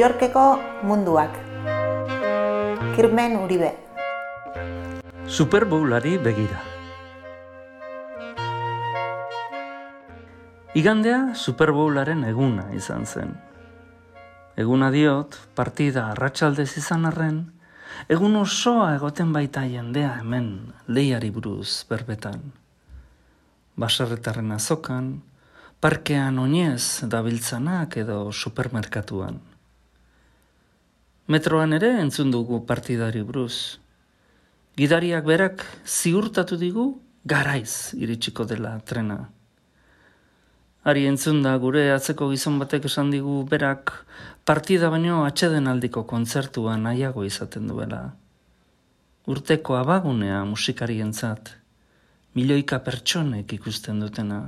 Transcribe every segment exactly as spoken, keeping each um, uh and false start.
Yorkeko munduak. Kirmen Uribe. Super Bowlari begira. Igandea Super Bowlaren eguna izan zen. Eguna diot, partida arratsaldez izan arren, egun osoa egoten baita jendea hemen lehiari buruz berbetan. Baserritarren azokan, parkean oinez dabiltzanak edo supermerkatuan. Metroan ere entzun dugu partidari buruz. Gidariak berak ziurtatu digu garaiz iritsiko dela trena. Ari entzun da gure atzeko gizon batek esan digu berak partida baino atsedenaldiko kontzertua nahiago izaten duela. Urteko abagunea musikarientzat, milioika pertsonek ikusten dutena.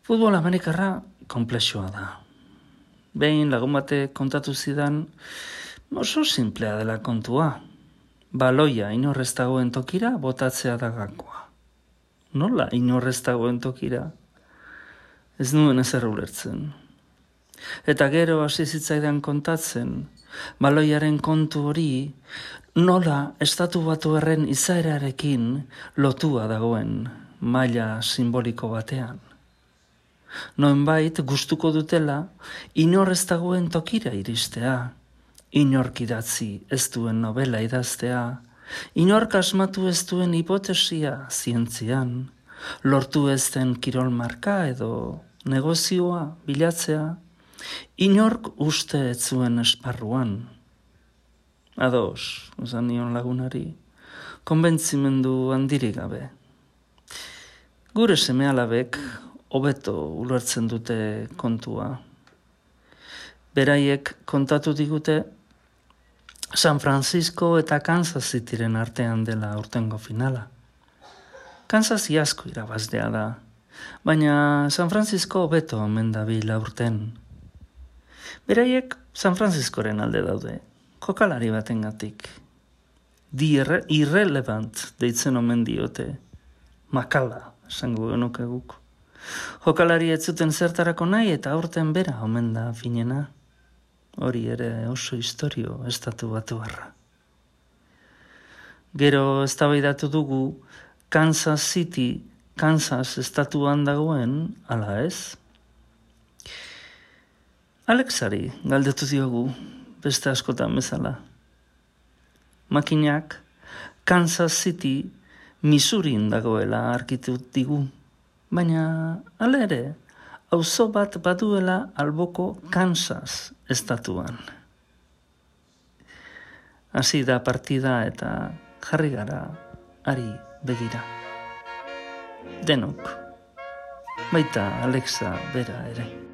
Futbol amerikarra konplexua da. Behin lagun batek kontatu zidan, oso simplea dela kontua. Baloia inorrez dagoen tokira botatzea da gakoa. Nola inorrez dagoen tokira? Ez nuen ezer ulertzen. Eta gero hasi zitzaidan kontatzen, baloiaren kontu hori nola estatu batuarren izaerarekin lotua dagoen maila simboliko batean. Noenbait gustuko dutela inorrez dagoen tokira iristea, inork idatzi ez duen novela idaztea, inork asmatu ez duen hipotesia zientzian, lortu ez den kirol marka edo negozioa bilatzea, inork uste ez zuen esparruan. Ados, esan nion lagunari, konbentzimendu handirik gabe. Gure seme-alabek hobeto ulertzen dute kontua. Beraiek kontatu digute San Francisco eta Kansas Cityren artean dela urtengo finala. Kansas asko irabazlea da, baina San Francisco hobeto omen dabil aurten. Beraiek San Franciscoren alde daude, jokalari batengatik. Di irrelevant deitzen omen diote, makala esango genuke guk. Jokalari ez zuten zertarako nahi eta aurten bera omen da finena. Hori ere oso historio estatu batuarra. Gero eztabaidatu dugu Kansas City, Kansas estatuan dagoen, ala ez? Alexari galdetu diogu, beste askotan bezala. Makinak Kansas City, Missourin dagoela argitu digu. Baina, hala ere, auzo bat baduela alboko Kansas estatuan. Hasi da partida eta jarri gara ari begira. Denok, baita Alexa bera ere.